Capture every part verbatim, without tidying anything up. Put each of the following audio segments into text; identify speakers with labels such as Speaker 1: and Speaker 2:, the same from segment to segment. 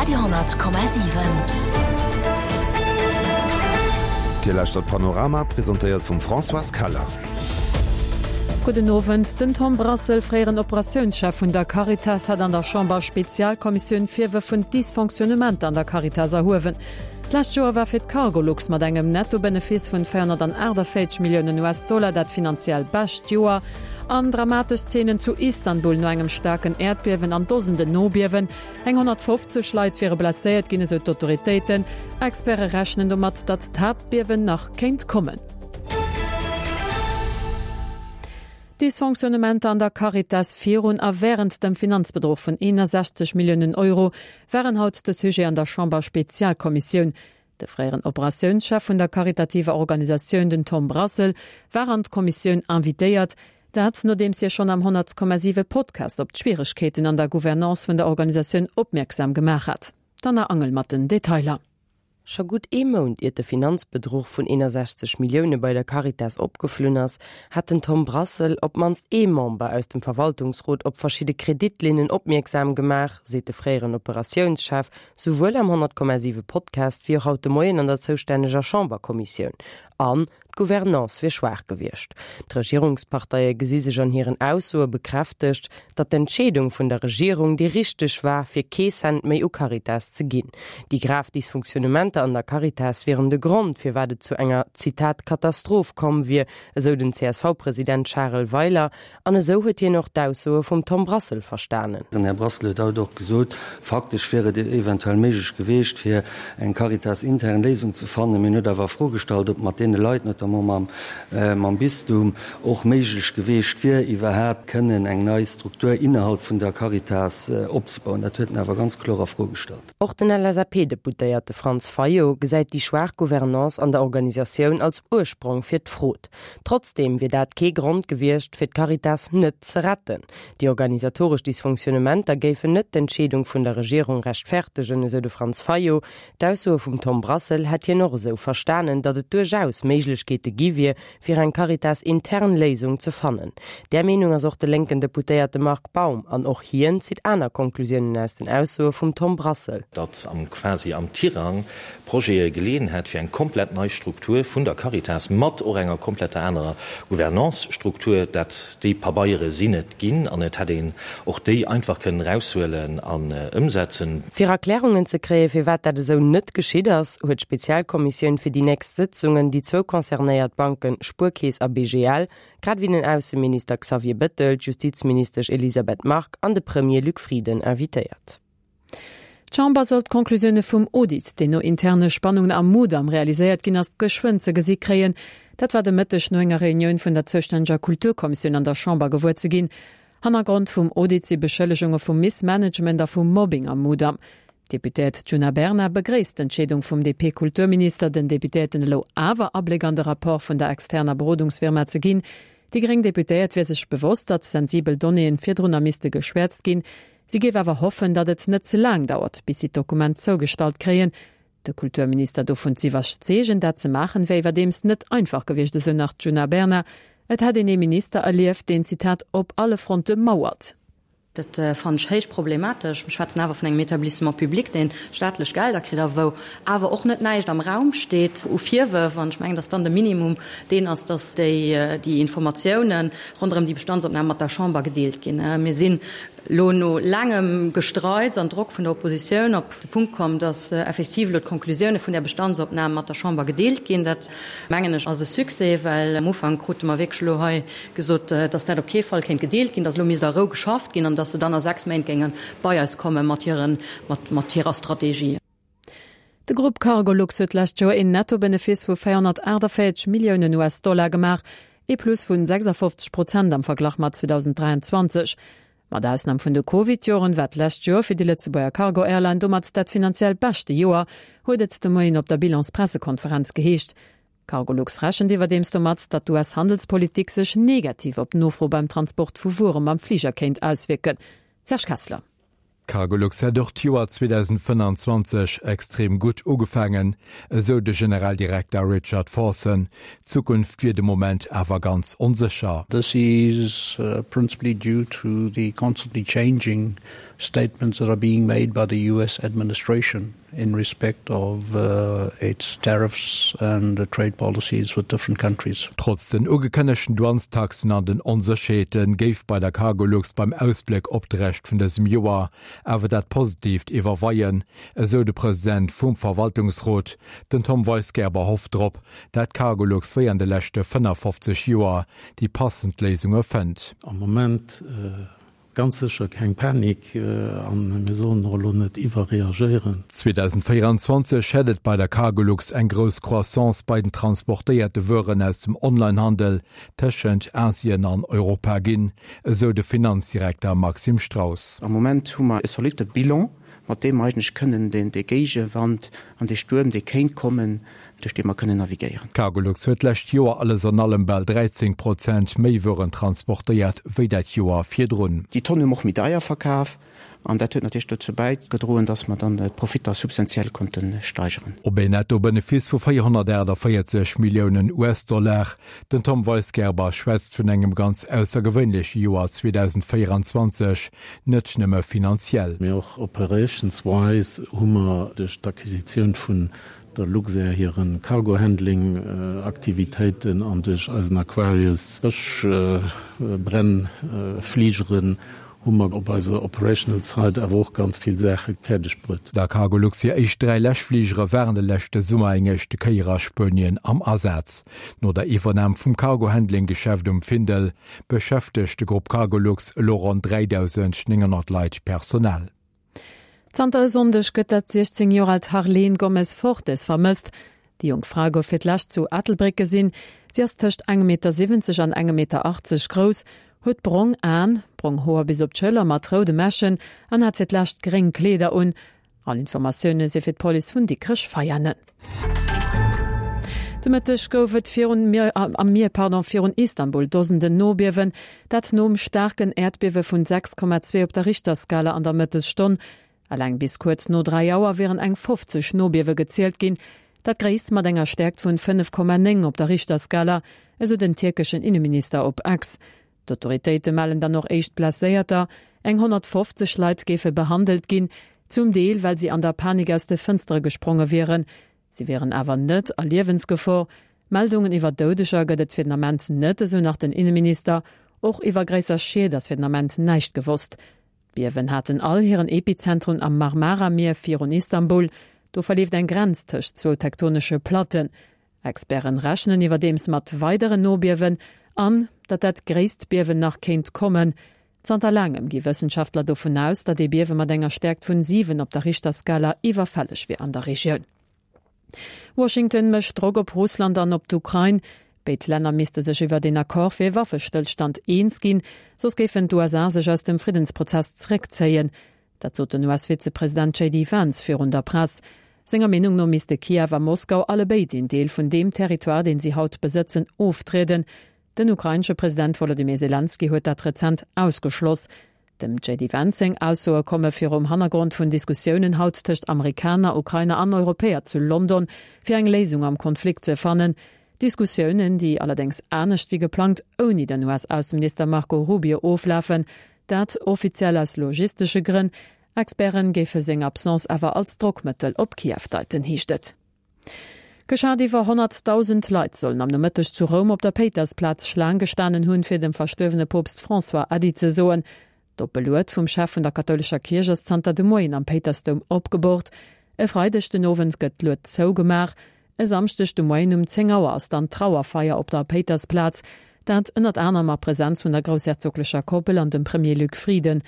Speaker 1: Radio honnert Komma siwen.
Speaker 2: Dir lauschtert Panorama, presentéiert vum Françoise Keller.
Speaker 3: Gudden Owend. Den Tom Brassel, fréieren Operatiounschef vun der Caritas, hat an der Chamber-Spezialkommissioun Virwërf vun Dysfonctionnementer an der Caritas erhuewen. D'lescht Joer war fir d'Cargolux mat engem Netto-Benefice vun véierhonnertaachtavéierzeg Milliounen US-Dollar dat finanziell bescht Joer. An dramatesch Zeenen zu Istanbul no engem staarken Äerdbiewen an Dosenden Nobiewen. Eng honnertfofzeg Leit wiere blesséiert ginn, esou d'Autoritéiten. Experte rechnen domat, datt d'Haaptbiewen nach kéint kommen. Dysfonctionnementer an der Caritas virun a wärend dem Finanzbedruch vun eenasechzeg Milliounen Euro waren haut de Sujet an der Chamber-Spezialkommissioun. De fréieren Operatiounschef vun der karitativer Organisatioun, den Tom Brassel, war an d'Kommissioun invitéiert. Dat nodeems hie schonn am honnert Komma siwe Podcast op d'Schwieregkeeten an der Gouvernance vun der Organisatioun opmierksam gemaach hat. D'Anna Angel mat den Detailer.
Speaker 4: Scho gutt ee Mount iert de Finanzbedruch vun eenasechzeg Millioune bei der Caritas opgeflunn ass, hat den Tom Brassel op d'mannst ee Member aus dem Verwaltungsrot op verschidde Kreditlinnen opmierksam gemaach, seet de fréieren Operatiounschef souwuel am honnert Komma siwe Podcast wéi och haut de Moien an der zoustänneger Chamberkommissioun. An d'Gouvernance wier schwaach gewiescht. D'Regierungsparteie gesi sech an hiren Aussoe bekräftegt, datt d'Entscheedung vun der Regierung déi richteg war, fir kee Cent méi u Caritas ze ginn. Déi grav Dysfunktionnementer an der Caritas wieren de Grond, firwat et zu enger, Zitat, Katastroph komm wier, esou den C S V-President Charel Weiler. An esou huet hien och d'Aussoe vum Tom Brassel verstanen.
Speaker 5: Den Här Brassel huet haut och gesot, faktesch wier et eventuell méiglech gewiescht, fir eng Caritas-intern Léisung ze fannen. Mee en huet awer a Fro gestallt, ob mat deene Leit, notamment mam Bistum, och méiglech gewiescht wier, iwwerhaapt kënnen eng nei Struktur innerhalb vun der Caritas opzebauen. Dat huet en awer ganz kloer a Fro gestallt.
Speaker 4: Och den L S A P-Deputéierte Franz Fayot gesäit déi schwaach Gouvernance an der Organisatioun als Ursprong fir d'Frod. Trotzdeem wier dat kee Grond gewiescht, fir d'Caritas net ze retten. Déi organisatoresch Dysfonctionnementer géifen net d'Entscheedung vun der Regierung rechtfertegen, esou de Franz Fayot. D'Aussoe vum Tom Brassel hätt hien och esou verstanen, datt et duerchaus Méiglechkeete gi wier, fir eng Caritas-intern Léisung ze fannen. Där Meenung ass och de lénken Deputéierte Marc Baum an och hien zitt aner Konklusiounen aus den Aussoe vum Tom Brassel.
Speaker 6: Datt am quasi am Tirang Projete geleeën hätt fir eng komplett nei Struktur vun der Caritas mat och enger kompletter anerer Gouvernance-Struktur, dat déi Pabeiere sinn et ginn an et hätt een och déi einfach kënnen eraushuelen an ëmsetzen.
Speaker 4: Fir Erklärungen ze kréien, firwat dat esou net geschitt ass, huet d'Spezialkommissioun fir déi nächst Sëtzungen déi zwou concernéiert Banken Spuerkeess a B G L, grad ewéi den Ausseminister Xavier Bettel, d'Justizministesch Elisabeth Margue an de Premier Luc Frieden invitéiert.
Speaker 3: D'Chamber soll d'Konklusioune vum Audit, deen no interne Spannungen am Mudam realiséiert ginn ass, geschwënn ze gesi kréien. Dat war de Mëtteg no enger Reunioun vun der zoustänneger Kulturkommissioun an der Chamber gewuer ze ginn. Hannergrond vum Audit si Beschëllegunge vu Missmanagement a vu Mobbing am Mudam. D'Deputéiert Djuna Bernard begréisst d'Entscheedung vum D P-Kulturminister, den Deputéierten elo awer Abléck an de Rapport vun der externer Berodungsfirma ze ginn. Déi gréng Deputéiert wier sech bewosst, datt sensibel Donnéeën virdrunner misste geschwäerzt ginn. Si géif awer hoffen, datt et net ze laang dauert, bis si d'Dokument zougestallt kréien. De Kulturminister dovun z'iwwerzeegen, dat ze maachen, wier iwwerdeems net einfach gewiescht, esou nach d'Djuna Bernard. Et hätt een ee Minister erlieft, deen, Zitat, op alle Fronte mauert.
Speaker 7: Dat fannen ech héich problematesch. Mir schwätzen awer vun engem Établissement public, dee staatlech Gelder kritt a wou awer och net näischt am Raum steet u Virwërf. An ech mengen, datt dann de Minimum deen ass, datt déi déi Informatiounen ronderëm déi Bestandsopnam mat der Chamber gedeelt ginn. Mir sinn elo no laangem Gestreits an Drock vun der Oppositioun op de Punkt komm, datt effektiv elo d'Konklusioune vun där Bestandsopnam mat der Chamber gedeelt ginn. Dat, mengen ech, ass e Succès, well am Ufank krute mer wierklech elo hei gesot, datt dat op kee Fall kéint gedeelt ginn, datt elo misst a Rou geschafft ginn an datt se dann a sechs Méint géinge bei eis komme mat hiren, mat, mat hirer Strategie.
Speaker 3: De Grupp Cargolux huet d'lescht Joer een Nettobenefice vu véierhonnertaachtavéierzeg Milliounen U S-Dollar gemaach, ee Plus vun sechsafofzeg Prozent am Verglach mat zweedausend dräianzwanzeg. Mat Ausnam vun de Covid-Joren war d'lescht Joer fir déi Lëtzebuerger Cargo-Airline domat dat finanziell beschte Joer, huet et de Moien op der Bilanspressekonferenz geheescht. Cargolux rechent iwwerdeems domat, datt d'U S-Handelspolitik sech negativ op d'Nofro beim Transport vu Wuere mam Fliger kéint auswierken. Serge Kessler.
Speaker 8: Cargolux hätt och d'Joer zweedausendfënnanzwanzeg extrem gutt ugefaangen, esou de Generaldirekter Richard Forson. D'Zukunft wier de Moment awer ganz onsécher.
Speaker 9: This is uh, principally due to the constantly changing
Speaker 1: statements that are being made by the U S administration in respect of uh, its tariffs and uh, trade policies with different countries.
Speaker 8: Trotz den ugekënnegten Douanestaxen an den Onsécherheete géif bei der Cargolux beim Ausbléck op de Rescht vun dësem Joer awer dat Positiivt iwwerweien, esou de President vum Verwaltungsrot. Den Tom Weisgerber hofft drop, dat Cargolux wéi an de leschte fënnefofzeg Joer déi passend Léisunge fënnt.
Speaker 9: Am Moment ganz sécher keng Panik an mir sollen och elo net iwwerreagéieren.
Speaker 8: zweedausendvéieranzwanzeg hätt et bei der Cargolux eng grouss Croissance bei den transportéierte Wueren aus dem Onlinehandel tëschent Asien an Europa ginn, esou de Finanzdirekter Maxime Strauss.
Speaker 10: Am Moment hu mer e zolitte Bilan, mat deem mer eigentlech kënnen deen dee Géigewand an dee Stuerm, dee kéint kommen, duerch dee mer kënnen navigéieren.
Speaker 8: D'Cargolux huet d'lescht Joer alles an allem bal dräizéng Prozent méi Wueren transportéiert wéi dat Joer virdrun.
Speaker 10: Déi Tonn hu mer och méi deier verkaf an dat huet natierlech dozou bäigedroen, dass mer dann d'Profitter substantiell konnte steigeren.
Speaker 8: Op een Netto-Benefice vu véierhonnertaachtavéierzeg Milliounen U S-Dollar. Den Tom Weisgerber schwätzt vun engem ganz aussergewéinleche Joer zweedausendvéieranzwanzeg, net nëmme finanziell.
Speaker 9: Mee och operations-wise hu mer duerch d'Acquisitioun vun der Luxair hiren Cargo-Handling-Aktivitéiten an duerch eisen Aquarius Bëschbrennfligeren hu mer op eiser operational Side awer och ganz vill Saache fäerdeg bruet.
Speaker 8: Der Cargolux hir éischt dräi Läschfligere waren de leschte Summer eng éischte Kéier a Spuenien am Asaz. No der Iwwernam vum Cargo-Handling-Geschäft um Findel beschäftegt de Grupp Cargolux elo ronn dräidausendnénghonnert Leit Personal.
Speaker 3: Zanter e Sonndeg gëtt dat siechzéng Joer alt Harleen Gomez Fortes vermësst. Déi jonk Fra gouf fir d'lescht zu Ettelbréck gesinn. Si ass tëscht engem Meter siwwenzeg an engem Meter achtzeg grouss, huet brong Aen, brong Hoer bis op d'Schëller mat roude Mäschen an hat fir d'lescht gréng Kleeder un. All Informatioune si fir d'Police vun Dikrech-Veianen. De Mëtteg gouf et virun Mier, am Mier pardon, virun Istanbul Dosenden Nobiewen, dat nom staarken Äerdbiewe vun sechs Komma zwee op der Richterskala an der Mëttesstonn. Eleng bis kuerz no dräi Auer wieren eng fofzeg Nobiewe gezielt ginn, dat gréisst mat enger Stäerkt vun fënnef Komma néng op der Richterskala, esou den tierkeschen Inneminister op X. D'Autoritéite mellen dann och éischt Blesséierter, eng honnertfofzeg Leit géife behandelt ginn, zum Deel well si an der Panik aus de Fënstere gespronge wieren. Si wieren awer net a Liewensgefor. Meldungen iwwer Doudeger gëtt et fir den Ament net, esou nach den Inneminister. Och iwwer gréisser Schied ass fir den Ament näischt gewosst. D'Biewen haten all hiren Epizentrum am Marmara-Mier virun Istanbul. Do verleeft eng Grenz tëscht zwou tektonesche Platten. Experten rechnen iwwerdeems mat weideren Nobiewen an datt dat gréisst Biewen nach kéint kommen. Zanter laangem gi Wëssenschaftler dovun aus, datt ee Biewe mat enger Stäerkt vun siwen op der Richterskala iwwerfälleg wier an der Regioun. Washington mécht Drock op Russland an op d'Ukrain. Béid Länner misste sech iwwer een Accord fir Waffestëllstand eens ginn, soss géifen d'U S A sech aus dem Friddensprozess zeréckzéien. Dat sot den U S-Vizepresident J D Vance virun der Press. Senger Meenung no misste Kiew a Moskau allebéid een Deel vun deem Territoire, deen si haut besëtzen, oftrieden. Den ukrainesche President Wolodymyr Selenskyj huet dat rezent ausgeschloss. Dem J D Vance seng Aussoe komme virum Hannergrond vun Diskussiounen haut tëscht Amerikaner, Ukrainer an Europäer zu London, fir eng Léisung am Konflikt ze fannen. Diskussiounen, déi allerdéngs anescht wéi geplangt ouni den U S-Ausseminister Marco Rubio oflafen, dat offiziell aus logistesche Grënn. Experte géife seng Absence awer als Drockmëttel op Kiew deiten, heescht et. Geschat iwwer honnertdausend Leit sollen am Nomëtteg zu Roum op der Péitersplaz Schlaang gestanen hunn, fir dem verstuerwene Poopst François Äddi ze soen. D'oppe Lued vum Chef vun der kathoulescher Kierch ass zanter de Moien am Péitersdoum opgeboort. E Freideg den Owend gëtt d'Lued zougemaach. E Samschdeg de Moien um zéng Auer ass dann d'Trauerfeier op der Péitersplaz, dat ënnert anerem a Presenz vun der groussherzoglecher Koppel an dem Premier Luc Frieden.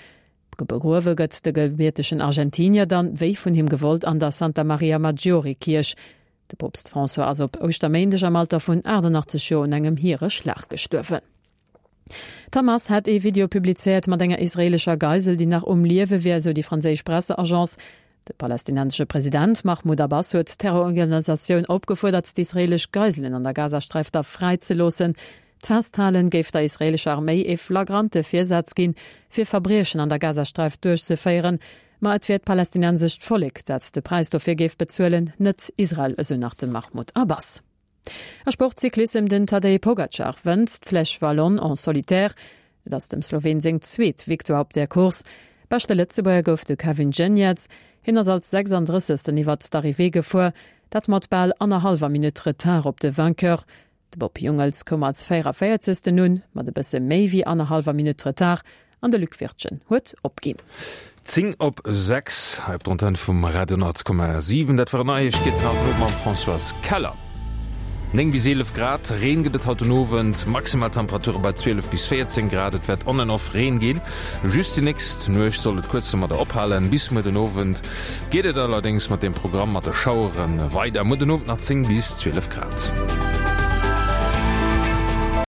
Speaker 3: Begruewe gëtt de gebiertegen Argentinier dann, wéi vun him gewollt, an der Santa Maria Maggiore Kierch. De Poopst François ass op Ouschterméindeg am Alter vun achtannachtzeg Joer un engem Hiereschlag gestuerwen. D'Hamas hat ee Video publizéiert mat enger israeelescher Geisel, déi nach um Liewe wier, esou déi franséisch Presseagence. De palästinensesche President Mahmoud Abbas huet d'Terrororganisatioun opgefuerdert, d'israeelesch Geiselen an der Gazasträif da fräizeloossen. D'Festhalen géif der israeelescher Arméi ee flagrante Virsaz ginn, fir Verbriechen an der Gazasträif duerchzeféieren. Ma et wier d'palästinensescht Vollek, dat de Präis dofir géif bezuelen, net Israel, esou nach de Mahmoud Abbas. A Sport, Cyclissem, Den Tadej Pogacar wënnt d'Flèche Wallonne en solitaire. Et ass dem Sloween seng zweet Victoire op der Course. Beschte Lëtzebuerger gouf de Kevin Geniets. Hien ass als sechsandrëssegsten iwwert d'Arrivée gefuer, dat mat bal annerhallwer Minutt Retard op de Vainqueur. De Bob Jungels koum als véierevéierzegsten un, mat e bësse méi wéi annerhallwer Minutt Retard, an de Luc Wirtgen huet opginn.
Speaker 11: Zéng op sechs hei op der Antenn vum Radio honnert Komma siwen. Dat waren Neiegkeeten haut elo mam Françoise Keller. Néng bis eelef Grad Reen gëtt et haut den Owend, maximal Temperature bei zwielef bis véierzéng Grad. Et wäert on and off Reen ginn, just déi nächst Nuecht soll et kuerz domadder ophalen. Bis muer den Owend geet et allerdéngs mat dem Programm mat de Schauere weider. Muer den Owend nach zéng bis zwielef Grad.